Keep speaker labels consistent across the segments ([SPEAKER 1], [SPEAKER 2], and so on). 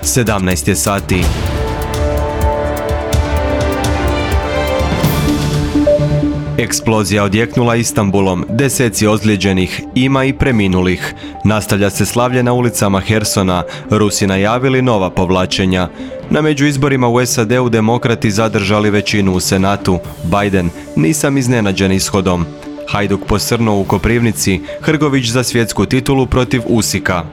[SPEAKER 1] 17 je sati. Eksplozija odjeknula Istanbulom, deseci ozlijeđenih, ima i preminulih. Nastavlja se slavlje na ulicama Hersona, Rusi najavili nova povlačenja. Na međuizborima u SAD-u demokrati zadržali većinu u Senatu. Biden, nisam iznenađen ishodom. Hajduk posrnuo u Koprivnici, Hrgović za svjetsku titulu protiv Usika.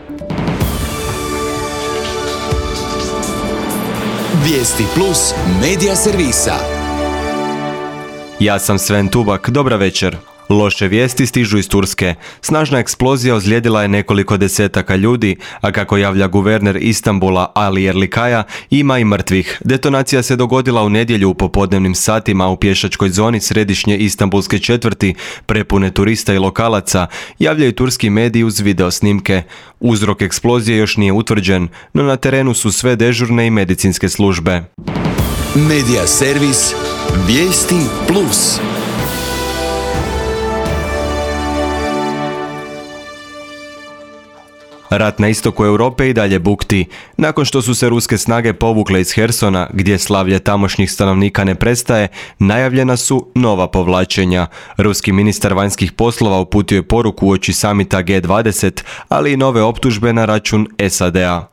[SPEAKER 2] Vijesti plus medija servisa.
[SPEAKER 1] Ja sam Sven Tubak, dobra večer. Loše vijesti stižu iz Turske. Snažna eksplozija ozlijedila je nekoliko desetaka ljudi, a kako javlja guverner Istanbula Ali Erlikaja, ima i mrtvih. Detonacija se dogodila u nedjelju u popodnevnim satima u pješačkoj zoni središnje istanbulske četvrti, prepune turista i lokalaca, javljaju turski mediji uz video snimke. Uzrok eksplozije još nije utvrđen, no na terenu su sve dežurne i medicinske službe.
[SPEAKER 2] Medija servis Vijesti plus.
[SPEAKER 1] Rat na istoku Europe i dalje bukti. Nakon što su se ruske snage povukle iz Hersona, gdje slavlje tamošnjih stanovnika ne prestaje, najavljena su nova povlačenja. Ruski ministar vanjskih poslova uputio je poruku uoči samita G20, ali i nove optužbe na račun SAD-a.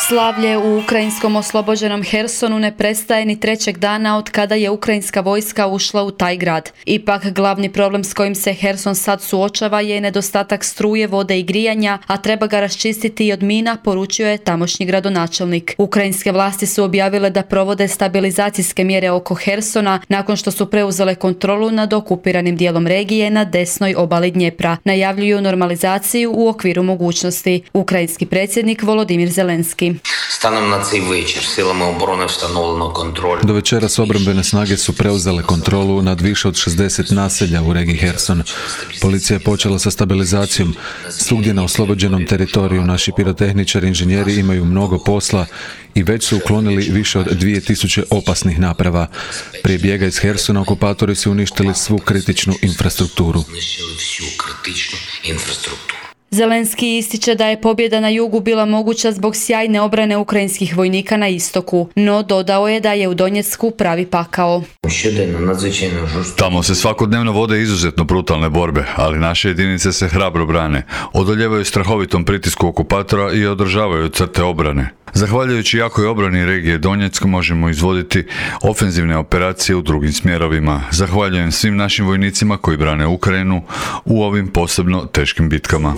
[SPEAKER 3] Slavlje u ukrajinskom oslobođenom Hersonu ne prestaje ni trećeg dana od kada je ukrajinska vojska ušla u taj grad. Ipak glavni problem s kojim se Herson sad suočava je nedostatak struje, vode i grijanja, a treba ga raščistiti i od mina, poručio je tamošnji gradonačelnik. Ukrajinske vlasti su objavile da provode stabilizacijske mjere oko Hersona nakon što su preuzele kontrolu nad okupiranim dijelom regije na desnoj obali Dnjepra. Najavljuju normalizaciju u okviru mogućnosti. Ukrajinski predsjednik Volodimir Zelenski.
[SPEAKER 4] Станом на цей вечір силами оборони встановлено контроль.
[SPEAKER 5] Do večeras obrambene snage su preuzele kontrolu nad više od 60 naselja u regiji Herson. Policija je počela sa stabilizacijom. Svugdje na oslobođenom teritoriju naši pirotehničari i inženjeri imaju mnogo posla i već su uklonili više od 2000 opasnih naprava. Prije bijega iz Hersona okupatori su uništili svu kritičnu infrastrukturu.
[SPEAKER 3] Zelenski ističe da je pobjeda na jugu bila moguća zbog sjajne obrane ukrajinskih vojnika na istoku, no dodao je da je u Donjecku pravi pakao.
[SPEAKER 6] Tamo se svakodnevno vode izuzetno brutalne borbe, ali naše jedinice se hrabro brane, odoljevaju strahovitom pritisku okupatora i održavaju crte obrane. Zahvaljujući jakoj obrani regije Donjeck možemo izvoditi ofenzivne operacije u drugim smjerovima. Zahvaljujem svim našim vojnicima koji brane Ukrajinu u ovim posebno teškim bitkama.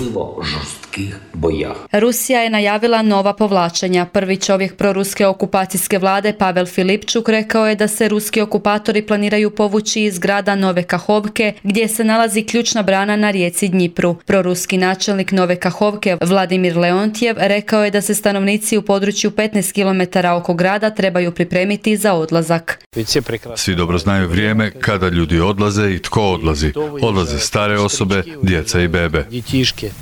[SPEAKER 3] Rusija je najavila nova povlačenja. Prvi čovjek proruske okupacijske vlade Pavel Filipčuk rekao je da se ruski okupatori planiraju povući iz grada Nove Kahovke, gdje se nalazi ključna brana na rijeci Dnjipru. Proruski načelnik Nove Kahovke Vladimir Leontjev rekao je da se stanovnici u području 15 km oko grada trebaju pripremiti za odlazak.
[SPEAKER 6] Svi dobro znaju vrijeme kada ljudi odlaze i tko odlazi. Odlaze stare osobe, djeca i bebe.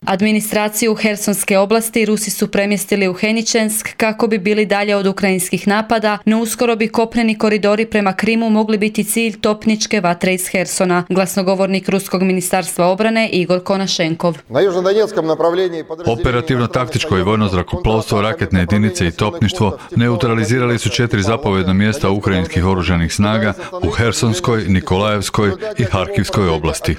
[SPEAKER 3] Administraciju Hersonske oblasti Rusi su premjestili u Heničensk kako bi bili dalje od ukrajinskih napada, no uskoro bi kopneni koridori prema Krimu mogli biti cilj topničke vatre iz Hersona. Glasnogovornik Ruskog ministarstva obrane Igor Konašenkov.
[SPEAKER 6] Operativno taktičko i vojno zrakoplovstvo, raketne jedinice i topništvo neutralizirali su 4 zapovjedna mjesta ukrajinskih oružanih snaga u Hersonskoj, Nikolajevskoj i Harkivskoj oblasti.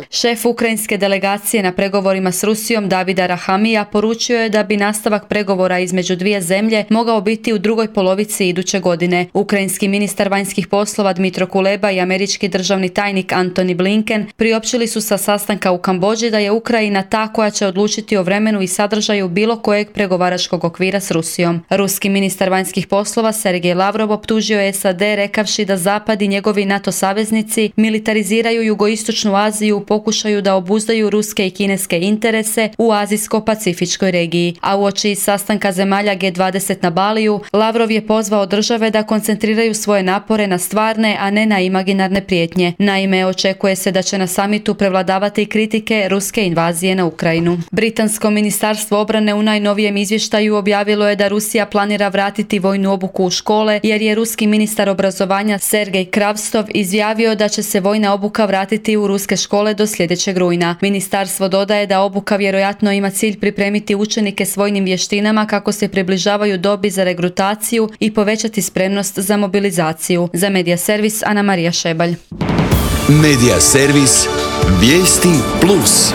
[SPEAKER 3] Šef ukrajinske delegacije na pregovorima s Rusijom Davida Rahamija poručio je da bi nastavak pregovora između dvije zemlje mogao biti u drugoj polovici iduće godine. Ukrajinski ministar vanjskih poslova Dmitro Kuleba i američki državni tajnik Antony Blinken priopćili su sa sastanka u Kambodži da je Ukrajina ta koja će odlučiti o vremenu i sadržaju bilo kojeg pregovaračkog okvira s Rusijom. Ruski ministar vanjskih poslova Sergej Lavrov optužio je SAD rekavši da Zapad i njegovi NATO saveznici militariziraju jugoistočnu Aziju u pokušaju da obuzdaju ruske i kineske interese u azijsko-pacifičkoj regiji. A uoči sastanka zemalja G20 na Baliju, Lavrov je pozvao države da koncentriraju svoje napore na stvarne, a ne na imaginarne prijetnje. Naime, očekuje se da će na samitu prevladavati kritike ruske invazije na Ukrajinu. Britansko ministarstvo obrane u najnovijem izvještaju objavilo je da Rusija planira vratiti vojnu obuku u škole, jer je ruski ministar obrazovanja Sergej Kravstov izjavio da će se vojna obuka vratiti vratiti u ruske škole do sljedećeg rujna. Ministarstvo dodaje da obuka vjerojatno ima cilj pripremiti učenike s vojnim vještinama kako se približavaju dobi za regrutaciju i povećati spremnost za mobilizaciju. Za Medija servis Ana Marija Šebalj.
[SPEAKER 2] Medija servis Vijesti Plus.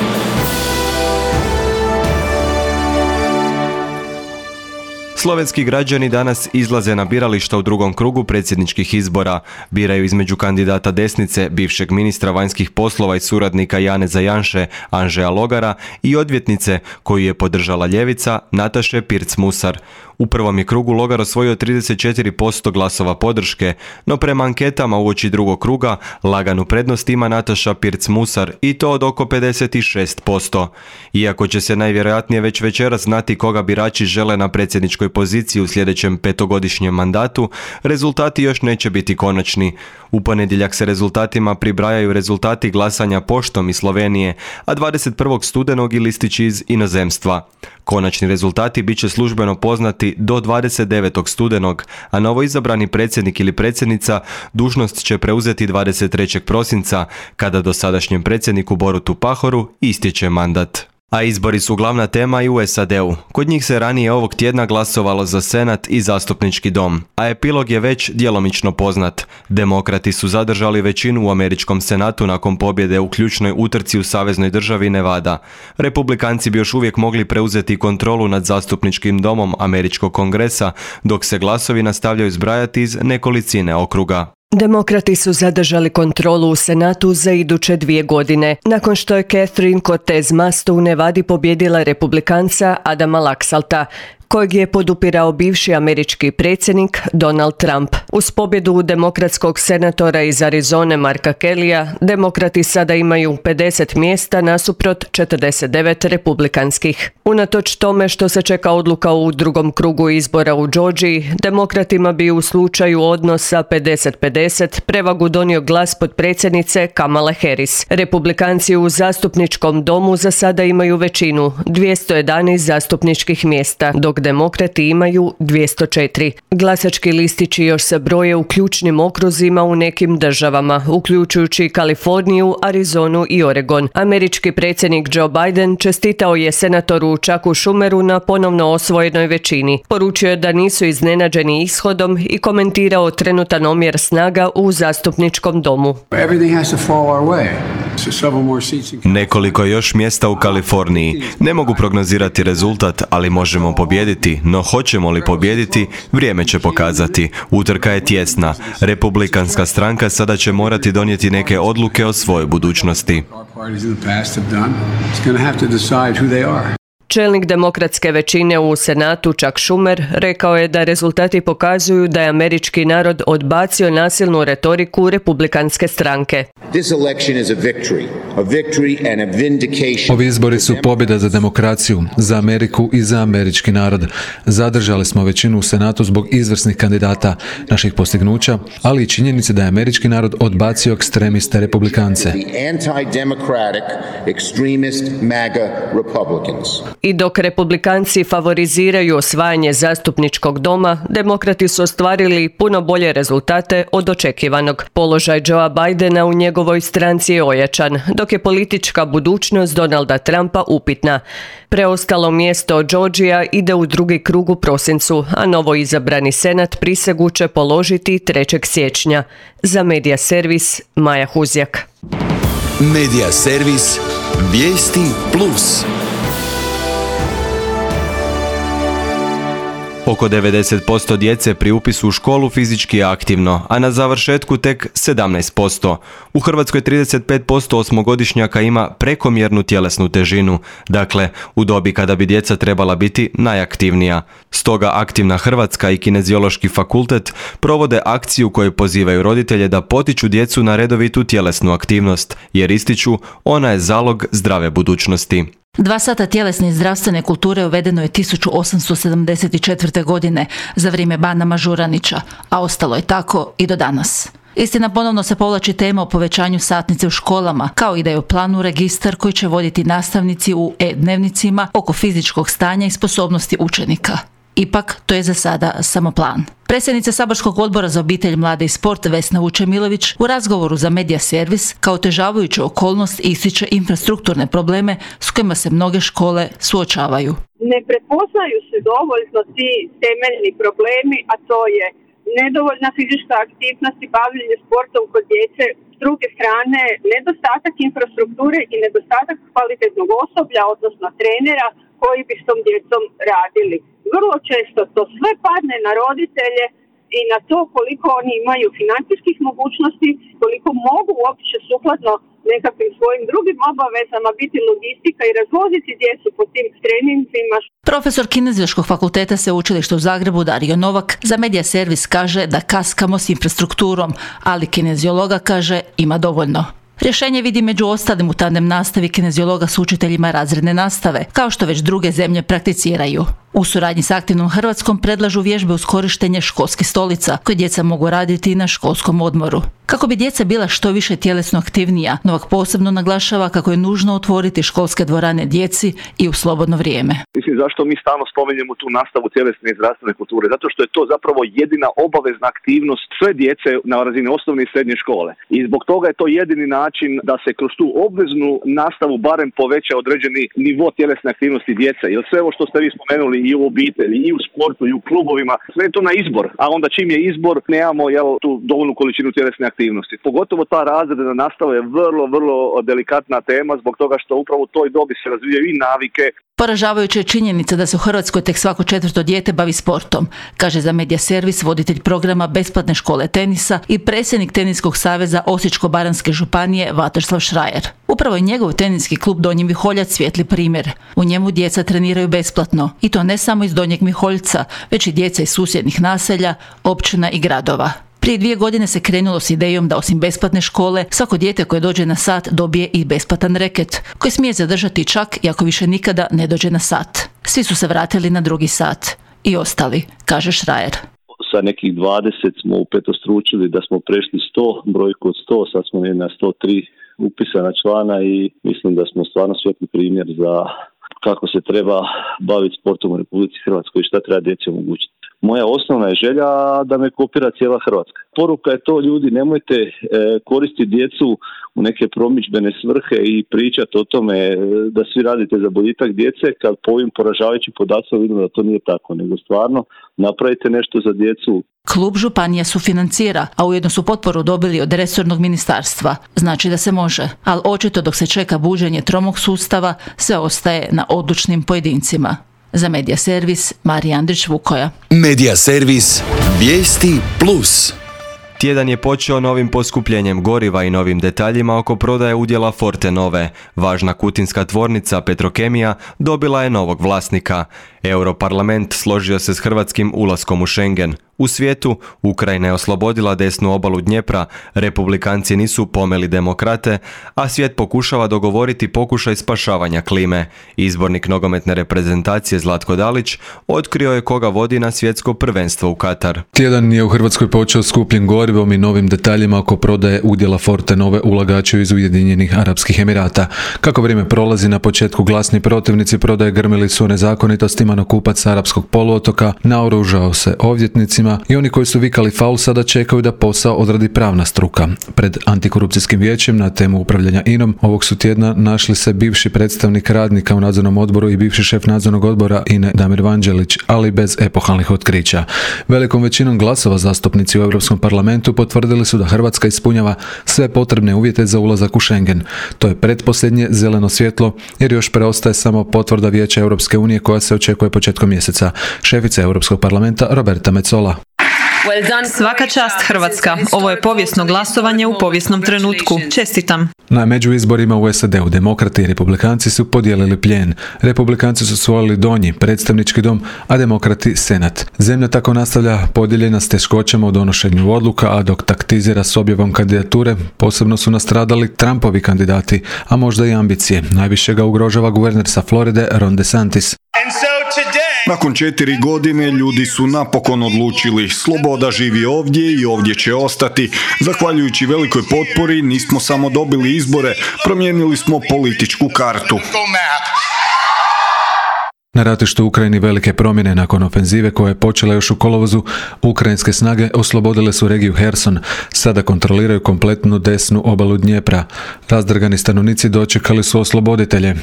[SPEAKER 1] Slovenski građani danas izlaze na birališta u drugom krugu predsjedničkih izbora. Biraju između kandidata desnice, bivšeg ministra vanjskih poslova i suradnika Janeza Janše, Anžeja Logara, i odvjetnice koju je podržala ljevica, Nataše Pirc-Musar. U prvom je krugu Logar osvojio 34% glasova podrške, no prema anketama uoči drugog kruga laganu prednost ima Nataša Pirc-Musar i to od oko 56%. Iako će se najvjerojatnije već večeras znati koga birači žele na predsjedničkoj poziciji u sljedećem petogodišnjem mandatu, rezultati još neće biti konačni. U ponedjeljak se rezultatima pribrajaju rezultati glasanja poštom iz Slovenije, a 21. studenog i listići iz inozemstva. Konačni rezultati bit će službeno poznati do 29. studenog, a novoizabrani predsjednik ili predsjednica dužnost će preuzeti 23. prosinca, kada dosadašnjem predsjedniku Borutu Pahoru istječe mandat. A izbori su glavna tema i u SAD-u. Kod njih se ranije ovog tjedna glasovalo za Senat i zastupnički dom, a epilog je već djelomično poznat. Demokrati su zadržali većinu u američkom senatu nakon pobjede u ključnoj utrci u saveznoj državi Nevada. Republikanci bi još uvijek mogli preuzeti kontrolu nad zastupničkim domom američkog kongresa, dok se glasovi nastavljaju zbrajati iz nekolicine okruga.
[SPEAKER 7] Demokrati su zadržali kontrolu u Senatu za iduće 2 godine, nakon što je Catherine Cortez Masto u Nevadi pobjedila republikanca Adama Laxalta, kojeg je podupirao bivši američki predsjednik Donald Trump. Uz pobjedu demokratskog senatora iz Arizone Marka Kellyja, demokrati sada imaju 50 mjesta nasuprot 49 republikanskih. Unatoč tome što se čeka odluka u drugom krugu izbora u Georgiji, demokratima bi u slučaju odnosa 50-50 prevagu donio glas potpredsjednice Kamale Harris. Republikanci u zastupničkom domu za sada imaju većinu, 211 zastupničkih mjesta, dok demokrati imaju 204. Glasački listići još se broje u ključnim okruzima u nekim državama, uključujući Kaliforniju, Arizonu i Oregon. Američki predsjednik Joe Biden čestitao je senatoru Chucku Schumeru na ponovno osvojenoj većini. Poručio je da nisu iznenađeni ishodom i komentirao trenutan omjer snaga u zastupničkom domu.
[SPEAKER 1] Nekoliko još mjesta u Kaliforniji. Ne mogu prognozirati rezultat, ali možemo pobijediti, no hoćemo li pobijediti, vrijeme će pokazati. Utrka je tjesna. Republikanska stranka sada će morati donijeti neke odluke o svojoj budućnosti.
[SPEAKER 7] Čelnik demokratske većine u Senatu Chuck Schumer rekao je da rezultati pokazuju da je američki narod odbacio nasilnu retoriku republikanske stranke.
[SPEAKER 5] Ovi izbori su pobjeda za demokraciju, za Ameriku i za američki narod. Zadržali smo većinu u Senatu zbog izvrsnih kandidata, naših postignuća, ali i činjenice da je američki narod odbacio ekstremiste republikance.
[SPEAKER 7] I dok republikanci favoriziraju osvajanje zastupničkog doma, demokrati su ostvarili puno bolje rezultate od očekivanog. Položaj Joea Bidena u njegovoj stranci je ojačan, dok je politička budućnost Donalda Trumpa upitna. Preostalo mjesto Georgija ide u drugi krug u prosincu, a novo izabrani senat prisegu će položiti 3. siječnja. Za Medija servis Maja Huzjak.
[SPEAKER 2] Medija servis Vijesti Plus.
[SPEAKER 1] Oko 90% djece pri upisu u školu fizički je aktivno, a na završetku tek 17%. U Hrvatskoj 35% osmogodišnjaka ima prekomjernu tjelesnu težinu, dakle u dobi kada bi djeca trebala biti najaktivnija. Stoga Aktivna Hrvatska i Kineziološki fakultet provode akciju koju pozivaju roditelje da potiču djecu na redovitu tjelesnu aktivnost, jer ističu ona je zalog zdrave budućnosti.
[SPEAKER 8] 2 sata tjelesne i zdravstvene kulture uvedeno je 1874. godine za vrijeme bana Mažuranića, a ostalo je tako i do danas. Istina, ponovno se povlači tema o povećanju satnice u školama, kao i da je u planu registar koji će voditi nastavnici u e-dnevnicima oko fizičkog stanja i sposobnosti učenika. Ipak, to je za sada samo plan. Predsjednica Saborskog odbora za obitelj, mlade i sport Vesna Vučemilović u razgovoru za Medija servis kao otežavajuću okolnost ističe infrastrukturne probleme s kojima se mnoge škole suočavaju.
[SPEAKER 9] Ne prepoznaju se dovoljno ti temeljni problemi, a to je nedovoljna fizička aktivnost i bavljenje sportom kod djece. S druge strane, nedostatak infrastrukture i nedostatak kvalitetnog osoblja, odnosno trenera koji bi s tom djecom radili. Vrlo često to sve padne na roditelje i na to koliko oni imaju financijskih mogućnosti, koliko mogu uopće sukladno nekakvim svojim drugim obavezama biti logistika i razvoziti djecu po tim treninzima.
[SPEAKER 8] Profesor Kineziološkog fakulteta Sveučilišta u Zagrebu Dario Novak za Medija servis kaže da kaskamo s infrastrukturom, ali kineziologa kaže ima dovoljno. Rješenje vidi među ostalim u tandem nastavi kineziologa s učiteljima razredne nastave, kao što već druge zemlje prakticiraju. U suradnji s Aktivnom Hrvatskom predlažu vježbe uz korištenje školskih stolica, koje djeca mogu raditi i na školskom odmoru. Kako bi djeca bila što više tjelesno aktivnija, Novak posebno naglašava kako je nužno otvoriti školske dvorane djeci i u slobodno vrijeme.
[SPEAKER 10] Mislim, zašto mi stalno spominjemo tu nastavu tjelesne i zdravstvene kulture? Zato što je to zapravo jedina obavezna aktivnost sve djece na razini osnovne i srednje škole. I zbog toga je to jedini način da se kroz tu obveznu nastavu barem poveća određeni nivo tjelesne aktivnosti djece. Jer sve ovo što ste vi spomenuli i u obitelji, i u sportu, i u klubovima, sve je to na izbor. A onda čim je izbor, nemamo tu dovoljnu količinu tjelesne aktivnosti. Pogotovo ta razredna nastava je vrlo delikatna tema zbog toga što upravo u toj dobi se razvijaju i navike.
[SPEAKER 8] Poražavajuća je činjenica da se u Hrvatskoj tek svako 4. dijete bavi sportom, kaže za Medija servis voditelj programa besplatne škole tenisa i predsjednik Teniskog saveza Osječko-baranjske županije Vatroslav Šrajer. Upravo je njegov teniski klub Donji Miholjac svijetli primjer. U njemu djeca treniraju besplatno, i to ne samo iz Donjeg Miholjca, već i djeca iz susjednih naselja, općina i gradova. Prije 2 godine se krenulo s idejom da osim besplatne škole, svako dijete koje dođe na sat dobije i besplatan reket, koji smije zadržati čak i ako više nikada ne dođe na sat. Svi su se vratili na drugi sat. I ostali, kaže Šrajer.
[SPEAKER 10] Sa nekih 20 smo upetostručili da smo prešli 100, brojku od 100, sad smo na 103 upisana člana i mislim da smo stvarno svijetli primjer za kako se treba baviti sportom u Republici Hrvatskoj i šta treba djeci omogućiti. Moja osnovna je želja da me kopira cijela Hrvatska. Poruka je to, ljudi, nemojte koristiti djecu u neke promidžbene svrhe i pričati o tome da svi radite za boljitak djece, kad po ovim poražavajućim podacima vidimo da to nije tako, nego stvarno napravite nešto za djecu.
[SPEAKER 8] Klub županija sufinancira, a ujedno su potporu dobili od resornog ministarstva. Znači da se može, ali očito dok se čeka buđenje tromog sustava, sve ostaje na odlučnim pojedincima. Za Medija servis, Marija Andrić-Vukoja.
[SPEAKER 2] Medija servis, vijesti plus.
[SPEAKER 1] Tjedan je počeo novim poskupljenjem goriva i novim detaljima oko prodaje udjela Fortenove. Važna kutinska tvornica Petrokemija dobila je novog vlasnika. Europarlament složio se s hrvatskim ulaskom u Schengen. U svijetu, Ukrajina je oslobodila desnu obalu Dnjepra, republikanci nisu pomeli demokrate, a svijet pokušava dogovoriti pokušaj spašavanja klime. Izbornik nogometne reprezentacije Zlatko Dalić otkrio je koga vodi na svjetsko prvenstvo u Katar.
[SPEAKER 5] Tjedan je u Hrvatskoj počeo skupljen gorivom i novim detaljima oko prodaje udjela Fortenove ulagaču iz Ujedinjenih Arapskih Emirata. Kako vrijeme prolazi, na početku glasni protivnici prodaje grmili su o nezakonitostima, no kupac s arapskog poluotoka naoružao se ovdjetnicima i oni koji su vikali faul sada čekaju da posao odradi pravna struka. Pred antikorupcijskim vijećem na temu upravljanja INA-om ovog su tjedna našli se bivši predstavnik radnika u nadzornom odboru i bivši šef nadzornog odbora INA-e Damir Vanđelić, ali bez epohalnih otkrića. Velikom većinom glasova zastupnici u Europskom parlamentu potvrdili su da Hrvatska ispunjava sve potrebne uvjete za ulazak u Schengen. To je pretposljednje zeleno svjetlo jer još preostaje samo potvrda Vijeća Europske unije koja se očekuje početkom mjeseca. Šefica Europskog parlamenta Roberta Metsola.
[SPEAKER 11] Svaka čast Hrvatska. Ovo je povijesno glasovanje u povijesnom trenutku. Čestitam.
[SPEAKER 5] Na međuizborima u SAD-u demokrati i republikanci su podijelili plijen. Republikanci su osvojili donji predstavnički dom, a demokrati senat. Zemlja tako nastavlja podijeljena s teškoćama u donošenju odluka, a dok taktizira s objavom kandidature, posebno su nastradali Trumpovi kandidati, a možda i ambicije. Najviše ga ugrožava guverner sa Floride Ron DeSantis.
[SPEAKER 12] Nakon 4 godine ljudi su napokon odlučili, sloboda živi ovdje i ovdje će ostati. Zahvaljujući velikoj potpori nismo samo dobili izbore, promijenili smo političku kartu.
[SPEAKER 5] Na ratištu u Ukrajini velike promjene nakon ofenzive koja je počela još u kolovozu. Ukrajinske snage oslobodile su regiju Herson. Sada kontroliraju kompletnu desnu obalu Dnjepra. Razdrgani stanovnici dočekali su osloboditelje.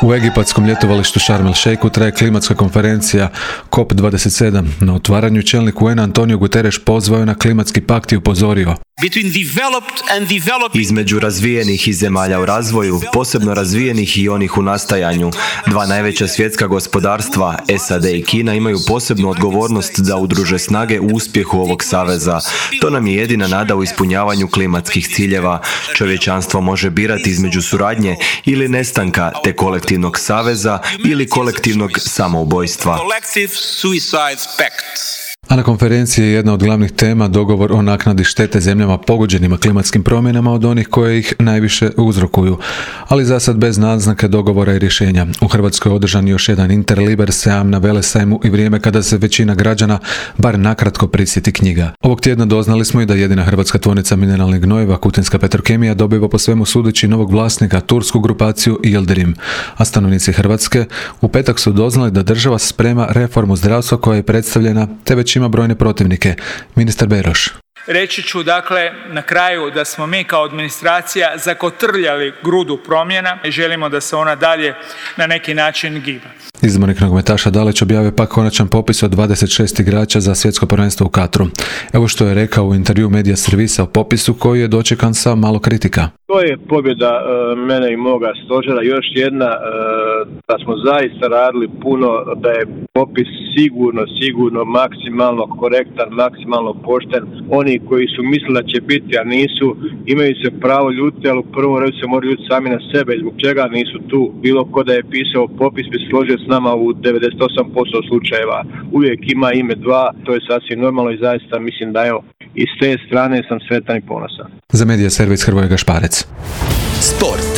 [SPEAKER 5] U egipatskom ljetovalištu Sharm el Sheikhu traje klimatska konferencija COP27. Na otvaranju čelnik UN Antonio Guterres pozvao je na klimatski pakt i upozorio:
[SPEAKER 1] između razvijenih i zemalja u razvoju, posebno razvijenih i onih u nastajanju, dva najveća svjetska gospodarstva, SAD i Kina, imaju posebnu odgovornost da udruže snage u uspjehu ovog saveza. To nam je jedina nada u ispunjavanju klimatskih ciljeva. Čovječanstvo može birati između suradnje ili nestanka, te kolektivnog saveza ili kolektivnog samoubojstva.
[SPEAKER 5] A na konferenciji je jedna od glavnih tema dogovor o naknadi štete zemljama pogođenima klimatskim promjenama od onih koje ih najviše uzrokuju, ali za sad bez naznake dogovora i rješenja. U Hrvatskoj je održan još jedan Interliber sajam na Velesajmu i vrijeme kada se većina građana bar nakratko prisjeti knjiga. Ovog tjedna doznali smo i da jedina hrvatska tvornica mineralnih gnojiva, Kutinska Petrokemija, dobiva po svemu sudeći novog vlasnika, tursku grupaciju Yildirim. A stanovnici Hrvatske u petak su doznali da država sprema reformu zdravstva koja je predstavljena, te već ima brojne protivnike. Ministar Beroš.
[SPEAKER 13] Reći ću dakle na kraju da smo mi kao administracija zakotrljali grudu promjena i želimo da se ona dalje na neki način giba.
[SPEAKER 5] Izbornik nogometaša Dalić objavio pak konačan popis od 26 igrača za svjetsko prvenstvo u Katru. Evo što je rekao u intervju Medija servisa o popisu koji je dočekan sa malo kritika.
[SPEAKER 14] To je pobjeda mene i moga stožera. Još jedna, da smo zaista radili puno, da je popis sigurno maksimalno korektan, maksimalno pošten. Oni koji su mislili da će biti, a nisu, imaju se pravo ljutiti, ali u prvom redu se moraju ljutiti sami na sebe. Zbog čega nisu tu? Bilo ko da je pisao popis bi složio s nama u 98% slučajeva. Uvijek ima ime dva, to je sasvim normalno i zaista mislim da evo, i s te strane sam sretan i ponosan.
[SPEAKER 5] Za Medija servis Hrvoje Gašparec.
[SPEAKER 2] Sport.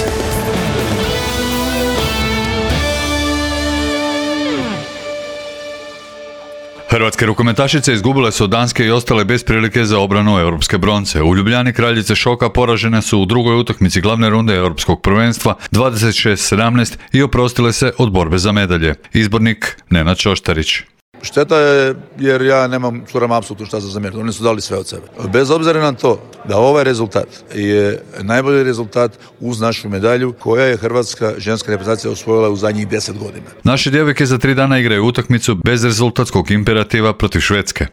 [SPEAKER 6] Hrvatske rukometašice izgubile su od Danske i ostale bez prilike za obranu europske bronce. U Ljubljani kraljice šoka poražene su u drugoj utakmici glavne runde europskog prvenstva 26-17 i oprostile se od borbe za medalje. Izbornik Nenad Čoštarić.
[SPEAKER 15] Šteta je jer ja nemam curam apsolutno šta za zamjeriti. Oni su dali sve od sebe. Bez obzira na to da ovaj rezultat je najbolji rezultat uz našu medalju koja je hrvatska ženska reprezentacija osvojila u zadnjih 10 godina.
[SPEAKER 6] Naše djevojke za 3 dana igraju utakmicu bez rezultatskog imperativa protiv Švedske.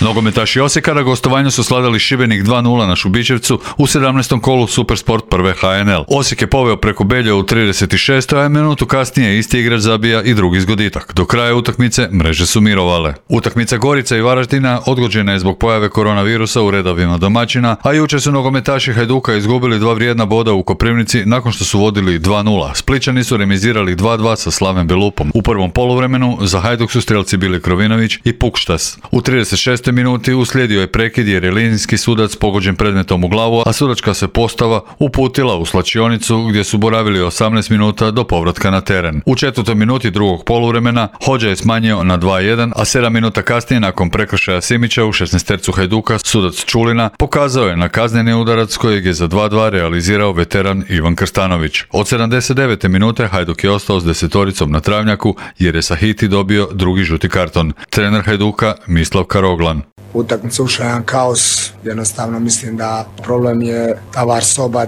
[SPEAKER 6] Nogometaši Osijeka na gostovanju su sladali Šibenik 2-0 na Šubićevcu u 17. kolu Supersport prve HNL. Osijek je poveo preko Belja u 36. a minutu kasnije isti igrač zabija i drugi zgoditak. Do kraja utakmice mreže su mirovale. Utakmica Gorica i Varaždina odgođena je zbog pojave koronavirusa u redovima domaćina, a jučer su nogometaši Hajduka izgubili 2 vrijedna boda u Koprivnici nakon što su vodili 2-0. Splićani su remizirali 2-2 sa Slaven Belupom. U prvom poluvremenu za Hajduk su strelci bili Krovinović i Pukštas. U 36. minuti uslijedio je prekid jer je linijski sudac pogođen predmetom u glavu, a sudačka se postava uputila u slačionicu gdje su boravili 18 minuta do povratka na teren. U 4. minuti drugog poluvremena Hodža je smanjio na 2-1, a 7 minuta kasnije nakon prekršaja Simića u 16. Hajduka sudac Čulina pokazao je na kazneni udarac kojeg je za 2-2 realizirao veteran Ivan Krstanović. Od 79. minute Hajduk je ostao s 10-oricom na travnjaku jer je Sahiti dobio drugi žuti karton. Trener Hajduka Mislav Karoglan.
[SPEAKER 16] Utakmica ušla jedan kaos, jednostavno mislim da problem je ta VAR soba,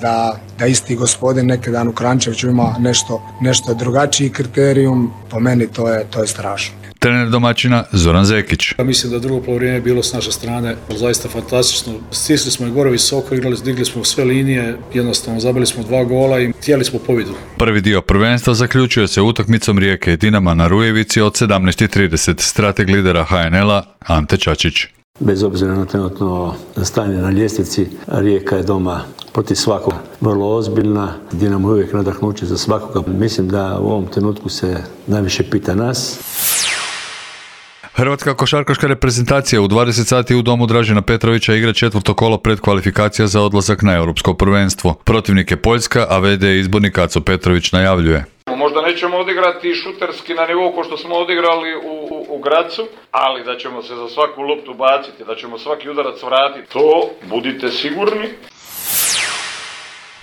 [SPEAKER 16] da isti gospodin neki dan u Krančeviću ima nešto drugačiji kriterijum, po meni to je strašno.
[SPEAKER 6] Trener domaćina Zoran Zekić.
[SPEAKER 17] Mislim da drugo poluvreme je bilo s naše strane zaista fantastično. Stisli smo i gore visoko, digli smo sve linije, jednostavno zabili smo 2 gola i htjeli smo pobjedu.
[SPEAKER 6] Prvi dio prvenstva zaključuje se utakmicom Rijeke i Dinama na Rujevici od 17:30. Strateg lidera HNL-a Ante Čačić.
[SPEAKER 18] Bez obzira na trenutno stanje na ljestvici, Rijeka je doma protiv svakoga vrlo ozbiljna. Dinamo je uvijek nadahnuće za svakoga. Mislim da u ovom trenutku se najviše pita nas.
[SPEAKER 6] Hrvatska košarkaška reprezentacija u 20 sati u domu Dražena Petrovića igra 4. kolo predkvalifikacija za odlazak na europsko prvenstvo. Protivnik je Poljska, a VD izbornik Aco Petrović najavljuje.
[SPEAKER 19] Možda nećemo odigrati šuterski na nivou ko što smo odigrali u Gracu, ali da ćemo se za svaku loptu baciti, da ćemo svaki udarac vratiti, to budite sigurni.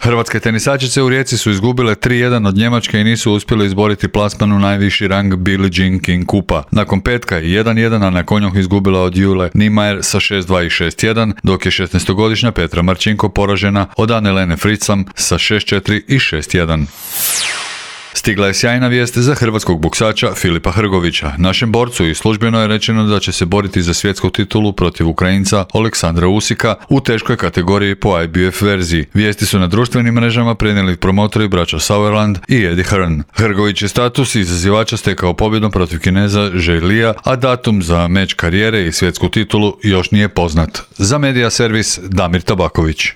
[SPEAKER 6] Hrvatske tenisačice u Rijeci su izgubile 3-1 od Njemačke i nisu uspjeli izboriti plasman u najviši rang Billie Jean King kupa. Nakon petka je 1-1, a na konjoh izgubila od Jule Niemeyer sa 6-2 i 6-1, dok je 16-godišnja Petra Marčinko poražena od Anne-Lene Fritzam sa 6-4 i 6-1. Stigla je sjajna vijest za hrvatskog boksača Filipa Hrgovića. Našem borcu i službeno je rečeno da će se boriti za svjetsku titulu protiv Ukrajinca Oleksandra Usika u teškoj kategoriji po IBF verziji. Vijesti su na društvenim mrežama prenijeli promotori braća Sauerland i Eddie Hearn. Hrgović je status izazivača stekao pobjedom protiv Kineza Zhejlija, a datum za meč karijere i svjetsku titulu još nije poznat. Za Media Servis Damir Tabaković.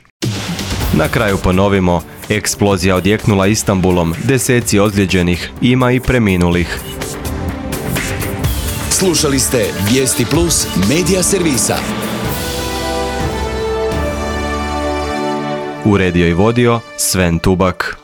[SPEAKER 1] Na kraju ponovimo, eksplozija odjeknula Istanbulom, 10 ozlijeđenih, ima i preminulih.
[SPEAKER 2] Slušali ste Vijesti Plus Media Servisa.
[SPEAKER 1] Uredio i vodio Sven Tubak.